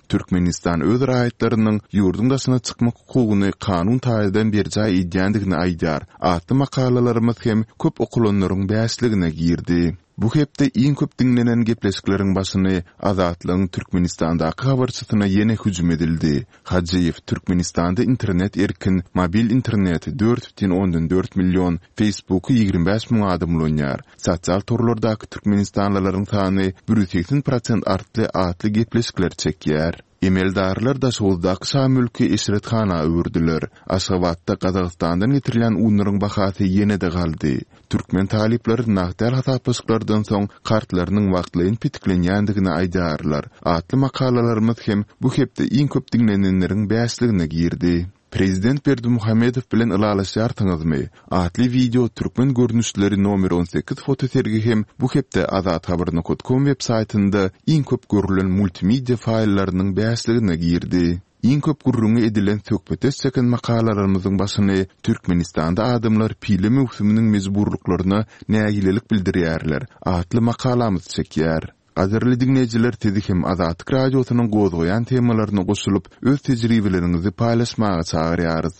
Türkmenistan öz raýatlarynyň ýurduň daşyna çykmak hukugyny kanun taýdan berjaý edýändigini aýdýar atly makalalarymyz hem köp okalanlaryň bäşligine girdi. Bu hepde iň köp diňlenen gepleşikleriň başyny Azatlygyň Türkmenistandaky habarçysyna ýene hüjüm edildi. Hajyýew, Türkmenistanda internet erkin, mobil interneti 4,4 million, Facebooky 25 müň adam ulanýar. Sosial torlardaky türkmenistanlylaryň sany 180 prosent artdy atly gepleşikler çekýär. Emeldarlar Daşoguzdaky şa mülki eşrethana öwürdiler. Aşgabatda Gazagystandan getirilýän unlaryň bahasy ýene-de galdy. Türkmen talyplary nagt däl hasaplaşyklardan soň kartlarynyň wagtlaýyn petiklenýändigini aýdýarlar atly makalalarymyz hem bu hepde iň köp diňlenenleriň bäşligine girdi. Prezident Berdimuhamedow bilen ylalaşýarsyňyzmy? atly wideo türkmen görnüşleri nomer 18 fotosergi hem bu hepde azathabar.com web saýtynda iň köp görülen multimedia faýllarynyň bäşligine girdi. Iň köp gürrüňi edilen söhbetdeş çeken makalalarymyzyň başyny Türkmenistanda adamlar pile möwsüminiň mejburlyklaryna nägilelik bildirýärler atly makalamyz çekýär. Gadyrly diňleýjiler sizi hem Azatlyk Radiosynyň gozgaýan temalaryna goşulyp, öz tejribeleriňizi paýlaşmaga çagyrýarys.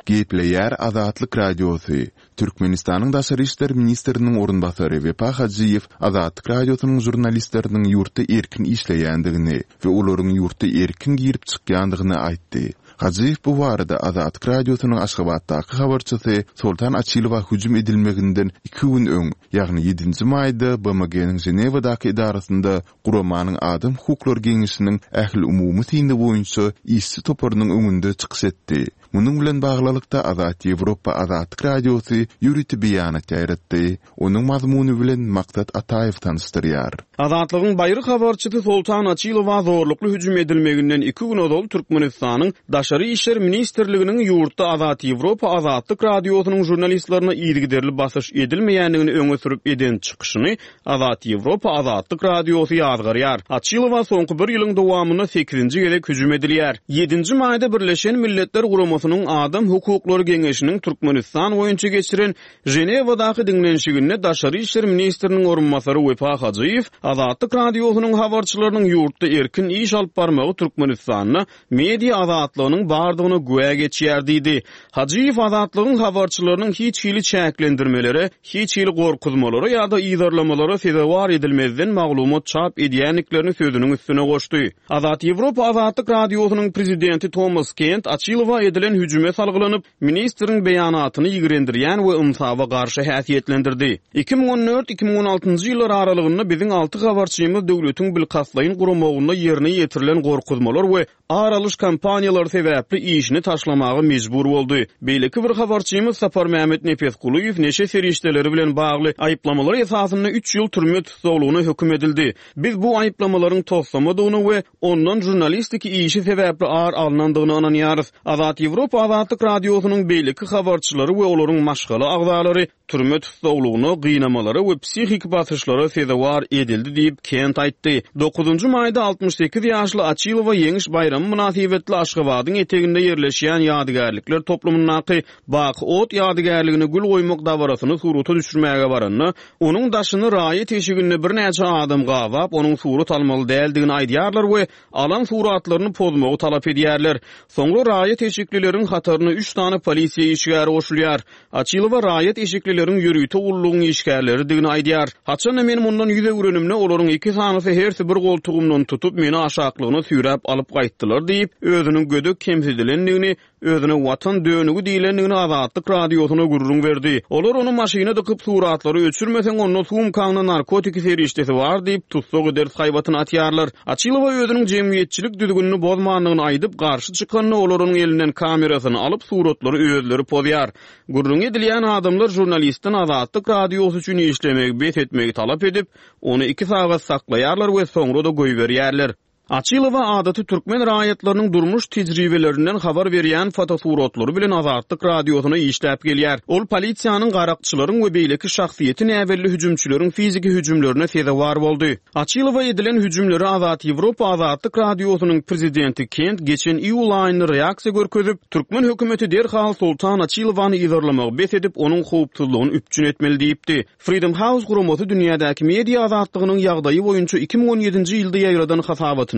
Gepleýär Azatlyk Radiosy, Türkmenistanyň Daşary işler ministriniň orunbasary Wepa Hajyýew Azatlyk Radiosynyň žurnalistleriniň ýurtda erkin işleýändigini we olaryň ýurtda erkin girip-çykýandygyny aýtdy. Hajyýew bu barada Azatlyk Radiosynyň Aşgabatdaky habarçysy Soltan Açylowa hüjüm edilmeginden iki gün öň, ýagny ýedinji maýda BMG-niň Ženewadaky edarasynda guramanyň Adam hukuklary geňeşiniň ähliumumy syny boýunça işçi toparynyň öňünde çykyş etdi. Munuň bilen baglylykda, Azat Ýewropa Azatlyk Radiosy ýörite beýanat ýaýratdy. Onuň mazmuny bilen Maksat Ataýew tanyşdyrýar. Azatlygyň baýry habarçysy Soltan Açylowa zorlukly hüjüm edilmeginden iki gün ozal Türkmenistanyň Daşary işler ministrliginiň ýurtda Azat Ýewropa Azatlyk Radiosynyň žurnalistlerine yzygiderli basyş edilmeýändigini öňe sürüp eden çykyşyny Azat Ýewropa Azatlyk Radiosy ýazgarýar. Açylowa soňky bir ýylyň dowamynda sekizinji gezek hüjüm edilýär. Ýedinji maýda Birleşen Milletler Guramasynyň Adam hukuklary geňeşiniň Türkmenistan boýunça geçiren Ženewadaky diňlenişiginde daşary işler ministriniň orunbasary Wepa Hajyýew Azatlyk Radiosynyň habarçylarynyň ýurtda erkin iş alyp barmagy Türkmenistanda media azatlygynyň bardygyna güwä geçýär diýdi. Hajyýew Azatlygyň habarçylarynyň hiç hili çäklendirmelere, hiç hili gorkuzmalara ýa-da yzarlamalara sezewar edilmezden maglumat çap edýändiklerini sözüniň üstüne goşdy. Azat Ýewropa Azatlyk Radiosynyň prezidenti Tomas Kent Açylowa edilen hüjüme salgylanyp, ministriň beýanatyny ýigrendirýän we ynsaba garşy häsiýetlendirdi. 2014, 2016 ýyllar aralygynda biziň alty habarçymyz döwletiň bilkastlaýyn guramagynda ýerine ýetirilen gorkuzmalar we ar alyş kampaniýalary sebäpli işini taşlamaga mejbur boldy. Beýleki bir habarçymyz Saparmämmet Nepesgulyýew neşe serişdeleri bilen bagly aýyplamalar esasynda üç ýyl türme tussaglygyna höküm edildi. Biz bu aýyplamalaryň toslamadygyna we ondan žurnalistiki işi sebäpli ar alnandygyna ynanýarys. Azat Ýewropa Azatlyk Radiosynyň beýleki habarçylary we olaryň maşgala agzalary türme tussaglygyna, gynamalara we psihiki basyşlara sezewar edildi diýip, Kent aýtdy. Dokuzynjy maýda 68 ýaşly Açylowa Ýeňiş baýramy mynasybetli Aşgabadyň eteginde ýerleşýän ýadygärlikler toplumyndaky Baky ot ýadygärligine gül goýmak dabarasyny surata düşürmäge baranda, onuň daşyny raýat eşiginde birnäçe adam gabap, onuň surat almaly däldigini aýdýarlar we alan suratlaryny pozmagy talap edýärler. Soňra raýat eşiklileriň hataryna üç sany polisiýa işgäri goşulýar. Açylowa raýat eşiklileriň ýörite gullugyň işgärleridigini aýdýar. Haçan-da men mundan ýüz öwrenimde, olaryň iki sanysy hersi bir goltugymdan tutup, meni aşaklygyna süýräp alyp gaýtdylar diýip, özüniň gödek kemsidilendigini Özüne Watan dönügi diýlendigini Azatlyk Radiosyna gürrüň berdi. Olar ony maşyna dykyp, suratlary öçürmeseň, onda sumkaňda narkotiki serişdesi bar diýip, tussag ederis haýbatyny atýarlar. Açylowa özüniň jemgyýetçilik düzgünini bozmandygyny aýdyp, garşy çykanda, olar onuň elinden kamerasyny alyp, suratlary özleri pozýar. Gürrüňi edilýän adamlar žurnalistden Azatlyk Radiosy üçin işlemegi bes etmegi talap edip, ony iki sagat saklaýarlar we soňra-da goýberýärler. Açylowa adaty türkmen raýatlarynyň durmuş tejribelerinden habar berýän fotosuratlary bilen Azatlyk Radiosyna işläp gelýär. Ol polisiýanyň, garakçylaryň we beýleki şahsyýeti näbelli hüjümçileriň fiziki hüjümlerine sezewar boldy. Açylowa edilen hüjümlere Azat Ýewropa Azatlyk Radiosynyň prezidenti Kent geçen iýul aýynda reaksiýa görkezip, türkmen hökümeti derhal Soltan Açylowany yzarlamagy bes edip, onuň howpsuzlygyny üpjün etmeli diýipdi. Freedom House guramasy dünýädäki media azatlygynyň ýagdaýy boýunça 2017-nji ýylda ýaýradan hasabatynda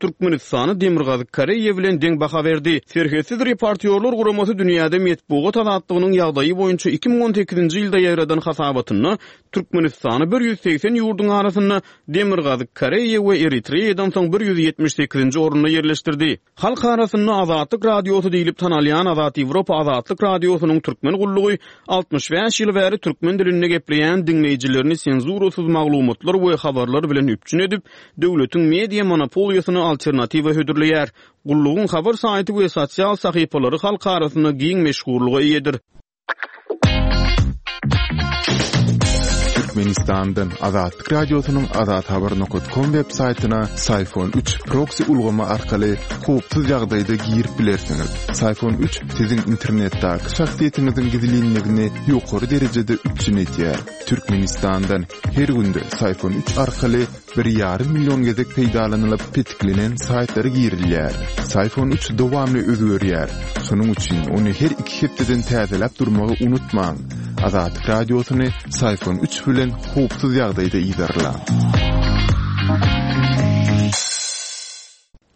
Türkmenistana Demirgazyk Koreýa bilen deň baha berdi. Serhetsiz reportýorlar guramasy dünýäde metbugat azatlygynyň ýagdaýy boýunça 2018-nji ýylda ýaýradan hasabatynda Türkmenistany 180 ýurduň arasynda Demirgazyk Koreýa we Eritreýadan soň 178-nji orunda ýerleşdirdi. Halk arasynda Azatlyk Radiosy diýlip tanalýan Azat Ýewropa Azatlyk Radiosynyň türkmen gullugy 65 ýyl bäri türkmen dilinde gepleýän diňleýjilerini senzurasyz maglumatlar we habarlar bilen üpjün edip, döwletiň media monopoliýasyna alternatiwa hödürleýär. Gullugyň habar saýty we sosial sahypalary halk arasynda giň meşhurlyga eýedir. Türkmenistandan Azatlyk Radiosynyň Azathabar nokat kom web saýtyna Syfon 3 proksi ulgamy arkaly howpsuz ýagdaýda girip bilersiňiz. Syfon 3 siziň internetdäki şahsyýetiňiziň gizlinligini ýokary derejede üpjün edýär. Türkmenistandan her günde Syfon 3 arkaly Bir ýarym million gezek peýdalanylyp petiklenen saýtlara girilýär. Syfon 3 dowamly özgerýär. Şonuň üçin ony her iki hepdeden täzeläp durmagy unutmaň. Azatlyk Radiosyny Syfon 3 bilen howpsuz ýagdaýda yzarlaň.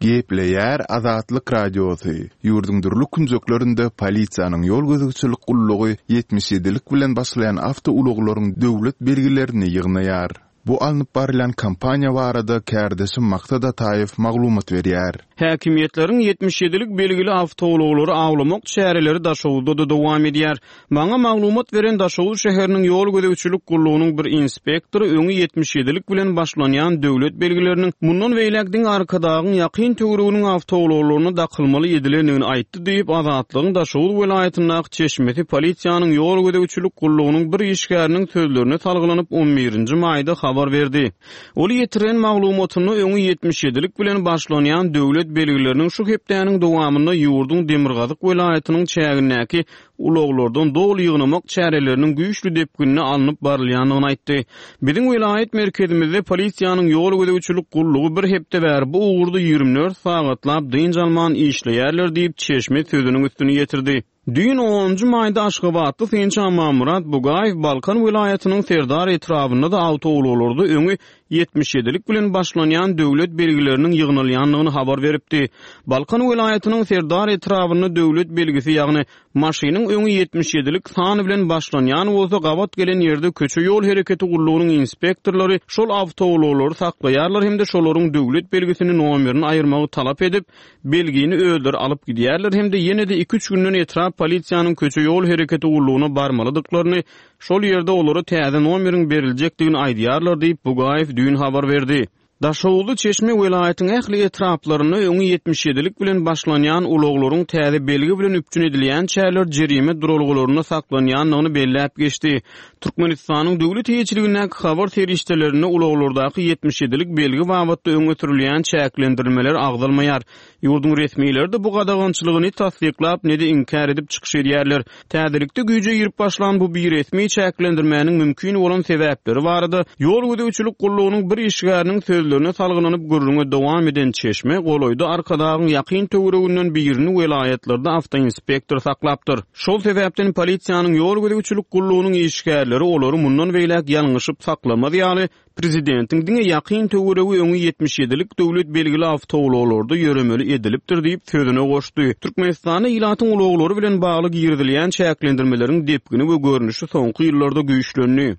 Gepleýär Azatlyk Radiosy, Ýurduň dürli künjeklerinde polisiýanyň ýol gözegçilik gullugy 77-lik bilen başlaýan awtoulaglaryň döwlet belgilerini ýygnaýar. Bu alnyp barylýan kampaniýa barada kärdeşim Maksat Ataýew maglumat berýär. Häkimiýetleriň 77-lik belgili awtoulaglary awlamak çäreleri Daşoguzda-da dowam edýär. Maňa maglumat beren Daşoguz şäheriniň ýol gözegçilik gullugynyň bir inspektory öňi 77-lik bilen başlanýan döwlet belgileriniň mundan beýläk diňe Arkadagyň ýakyn töwereginiň awtoulaglaryna dakylmaly edilendigini aýtdy diýip, Azatlygyň Daşoguz welaýatyndaky çeşmesi polisiýanyň ýol gözegçilik gullugynyň bir işgäriniň sözlerine salgylanyp, on birinji maýda habar berdi. Ol ýetiren maglumatynda öňi 77-lik bilen başlanýan döwlet belgileriniň şu hepdäniň dowamynda ýurduň demirgazyk welaýatynyň çägindäki ulaglardan doly ýygnamak çäreleriniň güýçli depginde alnyp barylýandygyny aýtdy. Biziň welaýat merkezimizde polisiýanyň ýol gözegçilik gullugy bir hepde bäri bu ugurda 24 sagatlap dynç alman işleýärler diýip, çeşme sözüniň üstüni ýetirdi. Düýn onunjy maýda aşgabatly synçy Amanmyrat Bugaýew Balkan welaýatynyň Serdar etrabynda-da awtoulaglarda öňi 77-lik bilen başlanýan döwlet belgileriniň ýygnalýandygyny habar beripdi. Balkan welaýatynyň Serdar etrabynda döwlet belgisi, ýagny maşynyň öňi 77-lik san bilen başlanýan bolsa, gabat gelen ýerde köçe-ýol hereketi gullugynyň inspektorlary şol awtoulaglary saklaýarlar hem-de şolaryň döwlet belgisini nomerini aýyrmagy talap edip, belgini özleri alyp gidýärler hem-de ýene-de iki-üç günden etrap polisiýanyň köçe-ýol hereketi gullugyna barmalydyklaryny, şol ýerde olara täze nomeriň beriljekdigini aýdýarlar diýip, Bugaýew düýn habar berdi. Daşoguzly çeşme welaýatyň ähli etraplarynda öňi 77-lik bilen başlanýan ulaglaryň täze belgi bilen üpjün edilýänçäler jerime duralgalarynda saklanýandygyny belläp geçdi. Türkmenistanyň döwlet eýeçiligindäki habar serişdelerinde ulaglardaky 77-lik belgi babatda öňe sürülýän çäklendirilmeler agzalmaýar. Ýurduň resmileri-de bu gadagançylygy ne tassyklap, ne-de inkär edip çykyş edýärler. Täzelikde güýje girip başlan bu biresmi çäklendirmäniň mümkin bolan sebäpleri barada ýol gözegçilik gullugynyň bir işgäriniň sözlerine salgylanyp gürrüňe dowam eden çeşme golaýda Arkadagyň ýakyn töwereginden birini welaýatlarda awtoinspektor saklapdyr. Şol sebäpden polisiýanyň ýol gözegçilik gullugynyň işgärleri olary mundan beýläk ýalňyşyp saklamaz ýaly, prezidentiň diňe ýakyn töweregi öňi 77-lik döwlet belgili awtoulaglarda ýöremeli edilipdir diýip, sözüne goşdy. Türkmenistanda ilatyň ulaglary bilen bagly girizilýän çäklendirmeleriň depgini we görnüşi soňky ýyllarda güýçlendi.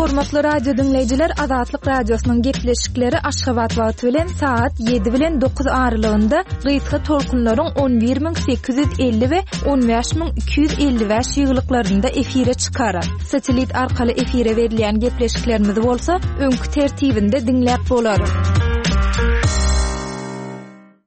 Hormatly radio diňleýjiler, Azatlyk Radiosynyň gepleşikleri Aşgabat wagty bilen sagat 7 bilen 9 aralygynda gysga tolkunlaryň 11850 we 15255 ýygylyklarynda efire çykar. Satellit arkaly efire berilýän gepleşiklerimizi bolsa öňki tertibinde diňläp bolar.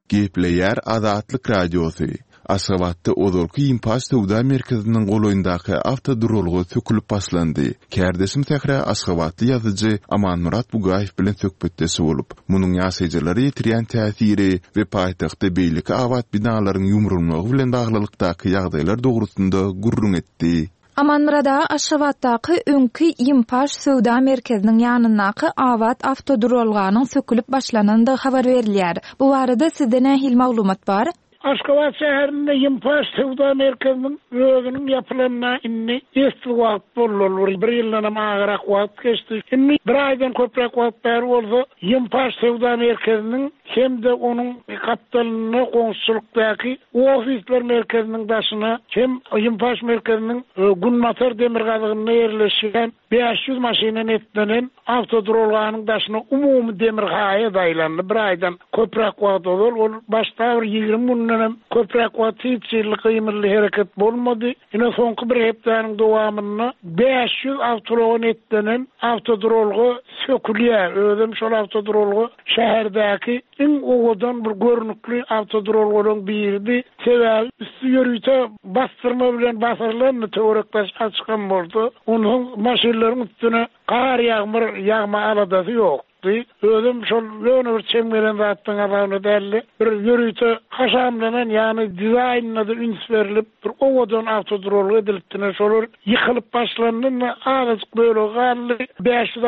Gepleýär Azatlyk Radiosy. Aşgabatda ozalky Ýimpaş söwda merkeziniň golaýyndaky awtoduralga sökülip başlandy. Kärdeşim Sähra aşgabatly ýazyjy Amanmyrat Bugaýew bilen söhbetdeş bolup, munuň ýaşaýjylara ýetirýän täsiri we paýtagtda beýleki abat binalaryň ýumrulmagy bilen baglylykdaky ýagdaýlar dogrusynda gürrüň etdi. Amanmyrat aga Aşgabatdaky öňki Ýimpaş söwda merkeziniň ýanyndaky abat awtoduralganyň sökülip başlanandygy habar berilýär. Bu barada sizde nähili maglumat bar? Aşgabat şäherinde Ýimpaş söwda merkeziniň özüniň ýapylanyna indi esli wagt boldy, ol bir bir ýyldanam agyrak wagt geçdi. Indi bir aýdan köpräk wagt bäri bolsa Ýimpaş söwda merkeziniň hem-de onuň gapdalynda goňşuçylykdaky ofisler merkeziniň daşyna hem Ýimpaş merkeziniň günbatar-demirgazygynda ýerleşýän 500 maşyna netlenen awtoduralganyň daşyna umumy demir haýat aýlandy. Bir aýdan köpräk wagt ozal ol başda bir 20 gündenem köpräk wagt hiç hili gymyldy hereket bolmady. Ine soňky bir hepdäniň dowamynda 500 awtoulaga netlenen awtoduralga sökülýär. Özem şol awtoduralga şäherdäki iň owadan bir görnükli awtoduralgalaryň biridi. Sebäbi üsti ýörite basdyrma bilen basyrylandy, töwerek-daş açykam bolsa, onsoň maşynlaryň üstüne gar-ýagmyr ýagma aladasy ýokdy. Özem şol ýöne bir çem gelen zatlaryň hasabyna däldi. Bir ýörite haşamlanan, ýagny dizaýnyna-da üns berlip, bir owadan awtoduralga edilipdi. Ine, şolar ýykylyp başlandy, indi azajyk bölegi galdy. 500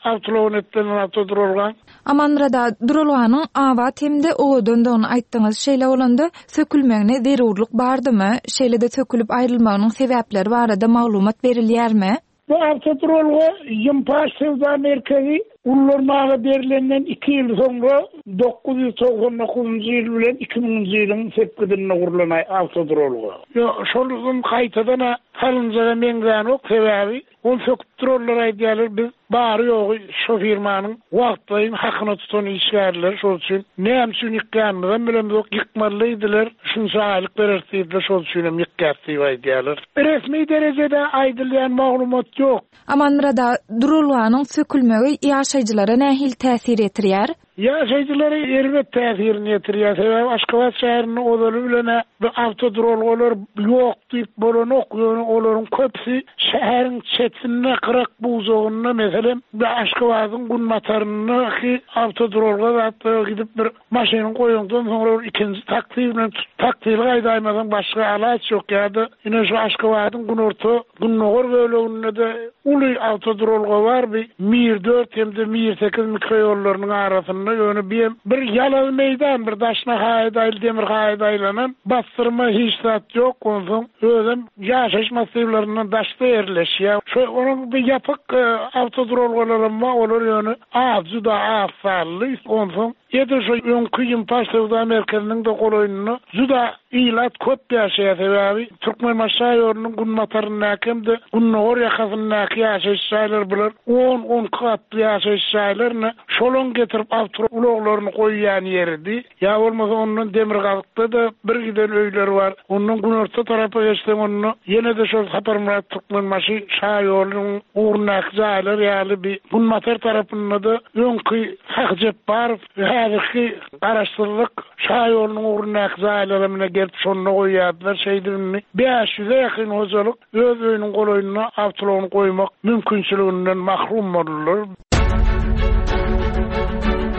awtoulaga netlenen awtoduralgaň. Amanmyrat aga, duralganyň abat hem-de owadandygyny aýtdyňyz. Şeýle bolanda, sökülmegine zerurlyk bardymy? Şeýle-de sökülip aýrylmagynyň sebäpleri barada maglumat berilýärmi? Bu awtoduralga Ýimpaş söwda merkezi ullanmaga berlenden iki ýyl soňra, 999-njy ýyl bilen iki müňünji ýylyň sepgidinde gurlan awtoduralga. Ýok, şol gaýtadan-a salynjaga meňzänok, sebäbi Ony söküp duranlar aýdýarlar, biz bary-ýogy şo firmanyň wagtlaýyn hakyna tutan işgärleri, şol üçin näme üçin ýykýanymyzam bilemzok, ýykmaly diýdiler, şunça aýlyk bereris diýdiler, şol üçinem ýykýas diýip aýdýarlar. Resmi derejede aýdylýan maglumat ýok. Amanmyrat aga, duralganyň sökülmegi ýaşaýjylara nähili täsir ýetirýär? Ýaşaýjylara erbet täsirini ýetirýär. Sebäbi Aşgabat şäherinde ozaly bilen-ä bu awtoduralgalar ýok diýip bolanok, ýöne olaryň köpüsi şäheriň çetinde, gyrak-bujagynda, meselem, bu Aşgabadyň günbataryndaky awtoduralga zatlara gidip bir maşynyňy goýaňdan soňra bir ikinji taksi bilen taksili gaýdaýmasaň başga alaç ýok ýa-da ine şu Aşgabadyň günorta Gündogar böleginde-de uly awtoduralga bar, bi Mir dört hem-de Mir sekiz mikroýollarynyň arasynda, ýöne bi hem bir ýalazy meýdan, bir daşyna haýat aýly, demir haýat aýlanan, bassyrma hiç zat ýok, onsoň özem ýaşaýyş massiwlerinden daşda ýerleşýär. Şo onuň bi ýapyk awtoduralgalaram bar, olar ýöne az, juda az sanly, onsoň edil şo öňki Ýimpaş söwda merkeziniň-de golaýynda juda Ilat köp ýaşaýar, sebäbi Türkmenbaşy şaýolunyň günbataryndaky hem-de gündogar ýakasyndaky ýaşaýyş jaýlar bular on-on iki gatly ýaşaýyş jaýlar ine şolaň getirip awtoulaglaryny goýýan ýeridi. Ýa bolmasa ondan demirgazykda-da bir giden öýler bar. Ondan günorta tarapa geçseň onda ýene-de şol Saparmyrat Türkmenbaşy şaýolunyň ugrundaky jaýlar ýaly bir günbatar tarapynda-da öňki Sahy Jepbarow häzirki Garaşsyzlyk şaýolunyň ugrundaky jaýlara mine gelip şonda goýýardylar. Şeýdip indi 500-e ýakyn hojalyk öz öýüniň golaýynda awtoulagyny goýmak mümkinçiliginden mahrum boldular.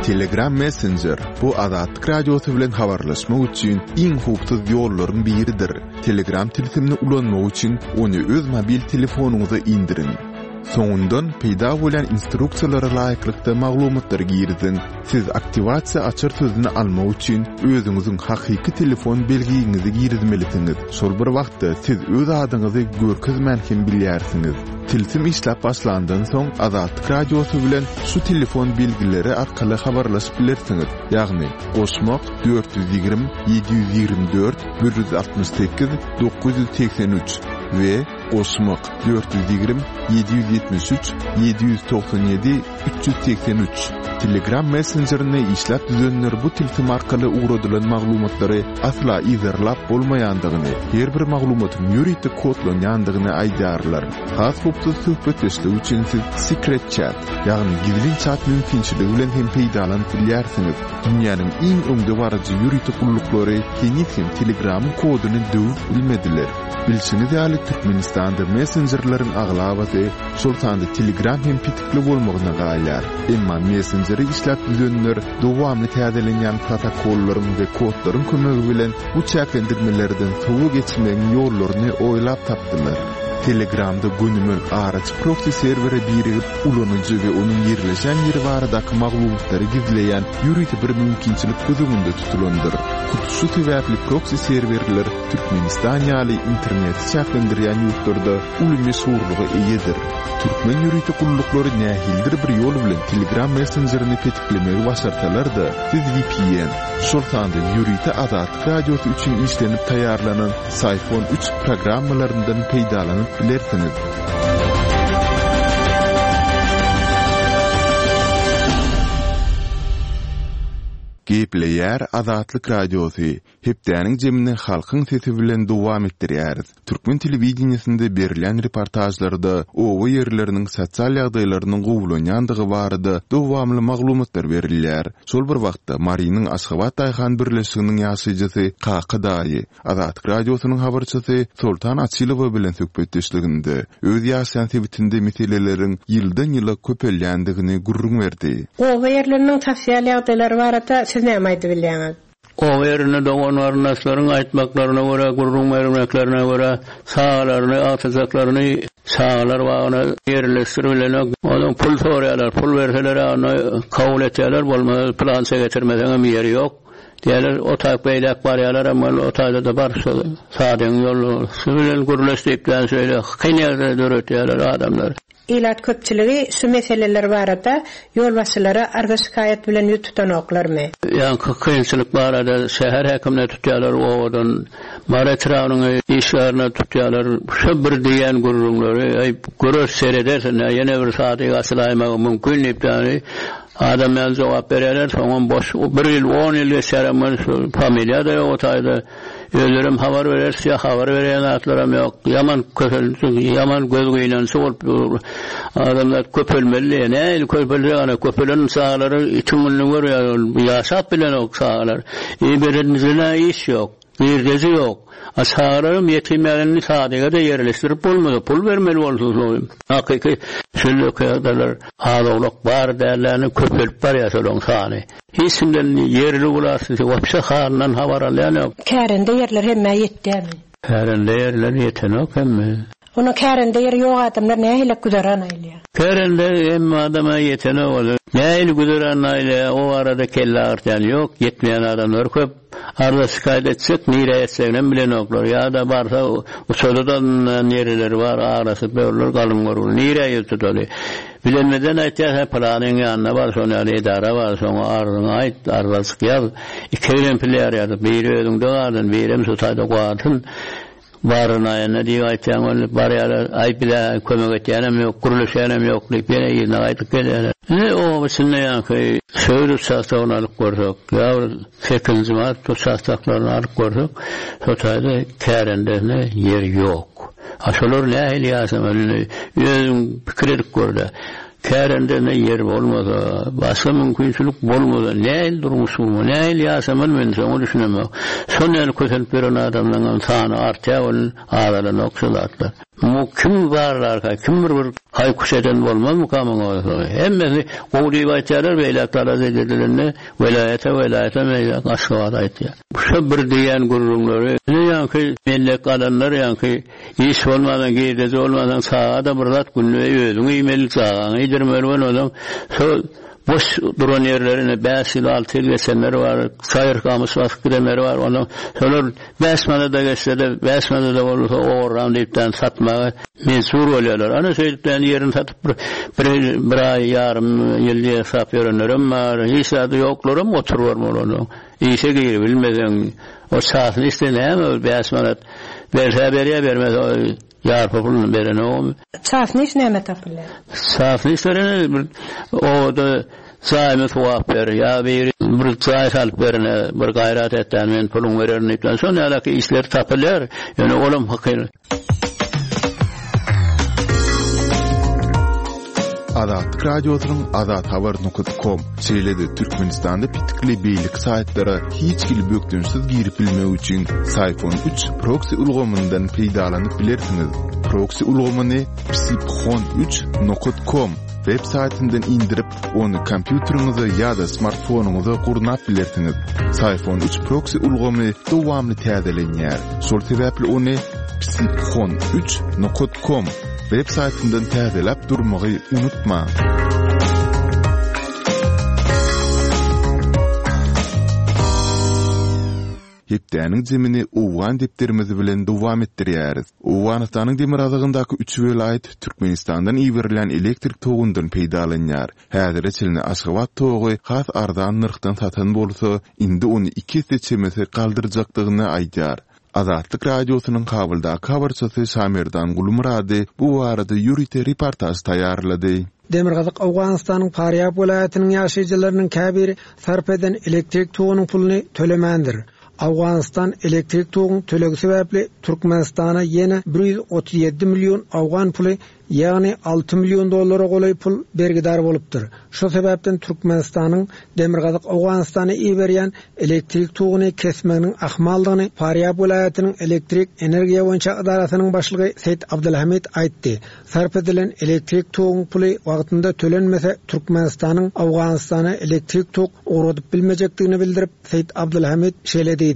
Telegram Messenger, bu Azatlyk Radiosy bilen habarlaşmak üçin iň howpsuz ýollaryň biridir. Telegram tilsimini ulanmak üçin ony öz mobil telefonyňyza indiriň. Soňundan peýda bolýan instruksiýalara laýyklykda maglumatlary giriziň. Siz aktiwasiýa açar sözüni almak üçin özüňiziň hakyky telefon belgiňizi girizmelisiňiz. Şol bir wagtda siz öz adyňyzy görkezmän hem bilýärsiňiz. Tilsim işläp başlandan soň Azatlyk Radiosy bilen şu telefon belgileri arkaly habarlaşyp bilersiňiz, ýagny, goşmak, 420 724 168 983 we. Goşmak, 420 773 797 383. Telegram messenjerini işläp düzenler bu tilsim arkaly ugradylan maglumatlary asla yzarlap bolmaýandygyny, her bir maglumatyň ýörite kodlanýandygyny aýdýarlar. Has howpsuz söhbetdeşlik üçin siz Secret Chat, ýagny gizlin çat mümkinçiligi bilen hem peýdalanyp bilýärsiňiz. Dünýäniň iň öňdebaryjy ýörite gulluklary heniz hem Telegramyň koduny döwüp bilmediler. Bilşiňiz ýaly, Türkmenistanda messenjerleriň aglabasy, şol sanda Telegram hem petikli bolmagyna galýar. Emma messenjeri işläp düzenler dowamly täzelenýän protokollaryň we kodlaryň kömegi bilen bu çäklendirmelerden sowa geçmegiň ýollaryny oýlap tapdylar. Telegramda gönümel araçy proksi serwere birigip, ulanyjy we onuň ýerleşen ýeri baradaky maglumatlary gizleýän ýörite bir mümkinçilik göz öňünde tutulandyr. Hut şu sebäpli proksi serwerler Türkmenistan ýaly interneti çäklendirýän ýurtlarda uly meşhurlyga eýedir. Türkmen ýörite gulluklary nähilidir bir ýol bilen Telegram messenjerini petiklemegi başarsalar-da, siz vpn, şol sanda ýörite Azatlyk Radiosy üçin işlenip taýýarlanan Syphon üç programmalaryndan peýdalanyp bilersiňiz. Gepleýär Azatlyk Radiosy, Hepdäniň jemini halkyň sesi bilen dowam etdirýäris. Türkmen telewideniýesinde berilýän reportažlarda oba ýerleriniň sosial ýagdaýlarynyň gowulanýandygy barada dowamly maglumatlar berilýär. Şol bir wagtda, Marynyň Aşgabat daýhan birleşiginiň ýaşaýjysy Kaka daýy Azatlyk Radiosynyň habarçysy Soltan Açylowa bilen söhbetdeşliginde öz ýaşaýan sebitinde meseleleriň ýyldan-ýyla köpelýändigini gürrüň berdi. Oba ýerleriniň sosial ýagdaýlary barada siz näme aýdybilýäňiz? Oba ýerinde dogan-garyndaşlaryň aýtmaklaryna görä, gürrüň bermeklerine görä, çagalaryny, agtyjaklaryny çagalar bagyna ýerleşdiribilenok. Onsoň pul soraýarlar, pul berseler-ä onda kabul etýärler, bolmasa pylança getirmeseňem ýeri ýok diýýärler. O taýyk beýläk barýarlaram, ol o taýda-da bar şo sadygyň ýolbaşçysy bilen gürleş diýip, ýa şeýle kyn ýagdaý döretýärler adamlar. Ilat köpçüligi şu meseleler barada ýolbaşçylara arza-şikaýat bilen ýüz tutanoklarmy? Ýaňky kynçylyk barada şäher häkimine tutýarlar, obadan Mary etrabynyň işgärine tutýarlar. Şo bir diýýän gürrüňleri, Äý, göreris, serederis, ine, ýene bir sadyk açylaýmagy mümkin diýip, ýagny adam ýaly jogap berýärler, soňam boş, bir ýyl, on ýyl geçýärem welin şu familiýa-da ýok o taýda. Özlerem habar bereris ýa habar berýän zatlaram ýok. Ýaman kösençli, ýaman göz gynançly bolup dur. Adamzat köpelmeli diýýär. Nähili köpeljek ana köpelen çagalary itiň gününi görýär ol. Ýaşap bilenok çagalar. Iberenizine iş ýok. Girdeji ýok. A çagalaram ýetim ýaly indi sadyga-da ýerleşdirip bolmasa pul bermeli bolsa şol. Hakyky şeýle ýagdaýlar az-owlak bar dälläni köpelip barýar şolaryň sany. Hiç kimden ýerli wlasty wapşe halyndan habar alýan ýok. Kärende ýerler hemmä ýetýärmi? Kärende ýerler ýetenok hemme. Onda kärende ýeri ýok adamlar nähili güzeran aýlaýar? Kärende hemme adama ýetenok ol. Nähili güzeran aýlaýar o barada kelle agyrtýan ýok, ýetmeýän adamlar köp. Arza şikaýat etjek nirä etjeginem bilenoklar. Ýa-da barsa uçada-da nirileri bar aglaşyp ýörler galyň görgüli. Nirä ýüz tutaly? Bilenmeden aýtýar, hä, pylanyň ýanyna bar, şonuň ýaly edara bar, şoňa arzyňy aýt, arzajyk ýaz. Iki egzemplýar ýazyp, biri özüňde galsyn, birem şu taýda galsyn. Barynaýanda diýip aýtýaň, ol barýarlar, aý, bize kömek etýänem ýok, gürleşýänem ýok diýip, ýene yzyna gaýdyp gelýärler. Indi oba içinde ýaňky söwüt uçastogyny alyp görsek, ýa bir sekizinji mart uçastoklaryny alyp görsek, şo taýda kärendesine ýer ýok. A şolar nähili ýaşamaly indi özüň pikir edip gör-dä. Kärendesine ýer bolmasa, başga mümkinçilik bolmasa nähili durmuş gurmaly, nähili ýaşamaly men şoňa düşünemok. Şol ýaly kösenip ýören adamlaryňam sany artýar welin azalanok şu zatlar. Muňa kim barlarka, kim bir bir haý-kuş eden bolmazmyka muňa bolsa. Hemmesi gowy diýip aýtýarlar, beýläk talap edilende welaýata, welaýatam beýläk Aşgabada aýtýar. Şo bir diýýän gürrüňleri, ine ýaňky mellek alanlar ýaňky iş bolmansoň, girdeji bolmansoň çaga-da bir zat günde özüň iýmeli, çagaňy iýdirmeli bolmasaň, şo boş duran ýerleri ine bäş ýyl, alty ýyl geçenleri bar, çaýyr gamyş basyp gidenleri bar, onsoň şolar bäş manada geçse-de, bäş manada bolsa ogurlam diýipden satmaga mejbur bolýarlar. Ana şeýdipden ýerini satyp bir bir bir aý, ýarym ýyl ýasap ýörenlerem bar, hiç zady ýoklaram oturybermeli onsoň. Işe giribilmeseň, o çasyny içse näme ol bäş manat? Berse berýär, bermese ýarpy puluny berenogam. Çasny iş näme tapylýar? Çasny iş berene bir obada jaýymy suwap ber, ýa biri bir jaý salyp berene bir gaýrat et-dä, men puluňy bererin diýip, şon ýalaky işler tapylýar. Ýöne olam hakyl. Azatlyk Radiosynyň azathabar nokat kom, şeýle-de Türkmenistanda petikli beýleki saýtlara hiç hili bökdençsiz girip bilmek üçin Syphon üç proksi ulgamyndan peýdalanyp bilersiňiz. Proksi ulgamyny psiphon üç nokat kom web saýtyndan indirip, Ony kompýuteriňize ýa-da smartfonyňyza gurnap bilersiňiz. Syphon üç proksi ulgamy dowamly täzelenýär. Şol sebäpli ony psiphon üç nokat kom web saýtyndan täzeläp durmagy unutmaň. Hepdäniň jemini Owgan depderimiz bilen dowam etdirýäris. Owganystanyň demirgazygyndaky üç welaýat Türkmenistandan iberilýän elektrik togundan peýdalanýar. Häzire çenli Aşgabat togy has arzan nyrhdan satan bolsa, indi ony iki esse çemesi galdyrjakdygyny aýdýar. Azatlyk Radiosynyň Kabuldaky habarçysy Şamerdan Gulmyrady bu barada ýörite reportaž taýýarlady. Demirgazyk Owganystanyň Farýab welaýatynyň ýaşaýjylarynyň käbiri sarp eden elektrik togunyň puluny tölemändir. Owganystan elektrik toguň tölegi sebäpli Türkmenistana ýene 137 million owgan puly, ýagny alty million dollara golaý pul bergidar bolupdyr. Şu sebäpden Türkmenistanyň Demirgazyk Owganystana iberýän elektrik toguny kesmeginiň ahmaldygyny Farýab welaýatynyň elektrik energiýa boýunça edarasynyň başlygy Seýit Abdylhamid aýtdy. Sarp edilen elektrik toguň puly wagtynda tölenmese, Türkmenistanyň Owganystana elektrik tok ugradyp bilmejekdigini bildirip, Seýit Abdylhamid şeýle diýdi.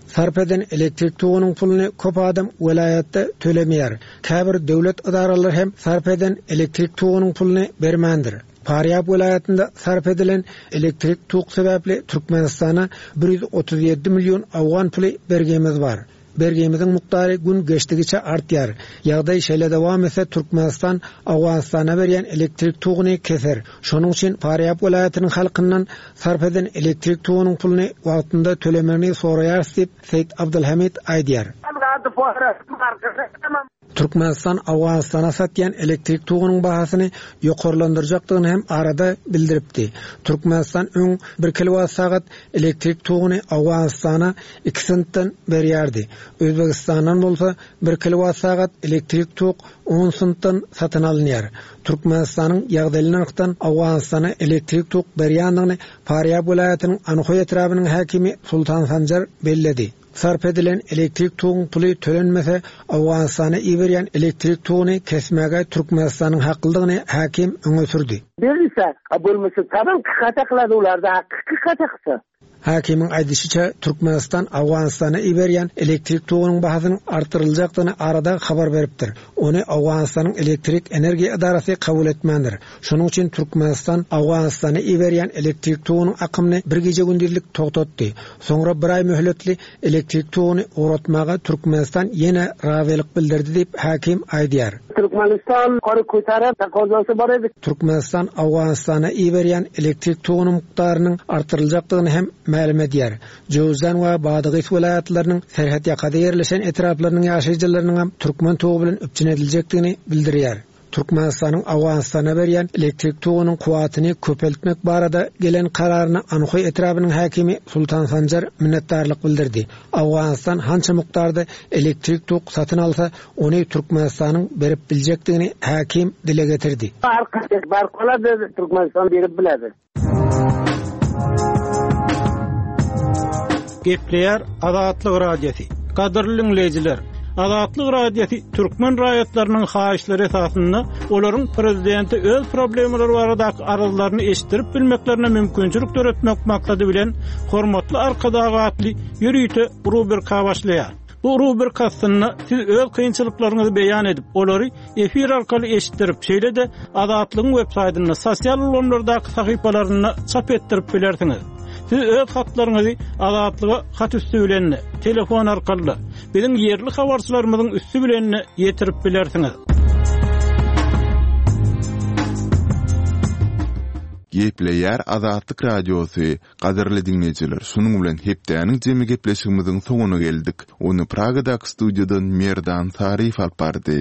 Sarp eden elektrik togunyň puluny köp adam welaýatda tölemeýär. Käbir döwlet edaralary hem sarp eden elektrik togunyň puluny bermändir. Farýab welaýatynda sarp edilen elektrik tok sebäpli Türkmenistana 137 million owgan puly bergimiz bar. Bergimiziň mukdary gün geçdigiçe artýar. Ýagdaý şeýle dowam etse Türkmenistan Owganystana berýän elektrik toguny keser. Şonuň üçin Farýab welaýatynyň halkyndan sarp eden elektrik togunyň puluny wagtynda tölemegini soraýarys diýip, Seýit Abdylhamid aýdýar. Türkmenistan Owganystana satýan elektrik togunyň bahasyny ýokarlandyrjakdygyny hem arada bildiripdi. Türkmenistan öň bir kilowat sagat elektrik toguny Owganystana iki sentden berýärdi. Özbegistandan bolsa bir kilowat sagat elektrik tok on sentden satyn alynýar. Türkmenistanyň ýagdaýly nyrhdan Owganystana elektrik tok berýändigini Farýab welaýatynyň Anhoý etrabynyň häkimi Sultan Sanjar belledi. Sarp edilen elektrik toguň puly tölenmese, Owganystana iberýän elektrik toguny kesmäge Türkmenistanyň haklydygyny häkim öňe sürdi. Berilse, a bolmasa tamam kykata kylady ularda haky kykata kylsa. Häkimiň aýdyşyça, Türkmenistan Owganystana iberýän elektrik togunyň bahasynyň artdyryljakdygyny arada habar beripdir. Ony Owganystanyň elektrik energiýa edarasy kabul etmändir. Şonuň üçin Türkmenistan Owganystana iberýän elektrik togunyň akymyny bir gije-gündizlik togtatdy. Soňra bir aý möhletli elektrik toguny ugratmaga Türkmenistan ýene razylyk bildirdi diýip, häkim aýdýar. Türkmenistan ýokary köteren takozasy bar edi. Türkmenistan Owganystana iberýän elektrik togunyň mukdarynyň artdyryljakdygyny hem mälim edýär. Jöwüzjan we Badagys welaýatlarynyň serhetýakada ýerleşen etraplarynyň ýaşaýjylarynyňam türkmen togy bilen üpjün ediljekdigini bildirýär. Türkmenistanyň Owganystana berýän elektrik togunyň kuwwatyny köpeltmek barada gelen kararyna Anhoý etrabynyň häkimi Sultan Sanjar minnetdarlyk bildirdi. Owganystan hança mukdarda elektrik tok satyn alsa, ony Türkmenistanyň berip biljekdigini häkim dile getirdi. Bark bolady, Türkmenistan berip biledi. Gepleýär Azatlyk Radiosy. Gadyrly diňleýjiler, Azatlyk Radiosy türkmen raýatlarynyň haýyşlary esasynda olaryň prezidente öz problemalary baradaky arzlaryny eşitdirip bilmeklerine mümkinçilik döretmek maksady bilen Hormatly Arkadag atly ýörite rubrika başlaýar. Bu rubrika astynda siz öz kynçylyklaryňyzy beýan edip, olary efir arkaly eşitdirip, şeýle-de Azatlygyň websaýtynda, sosial ulgamlardaky sahypalarynda çap etdirip bilersiňiz. Siz öz hatlaryňyzy Azatlyga hat üsti bilen-de, telefon arkaly-da, biziň ýerli habarçylarymyzyň üsti bilen-de ýetirip bilersiňiz. Gepleýär Azatlyk Radiosy, Gadyrly diňleýjiler, şunuň bilen hepdäniň jemi gepleşigimiziň soňuna geldik. Ony Pragadaky studiýadan Merdan Saryýew alyp bardy.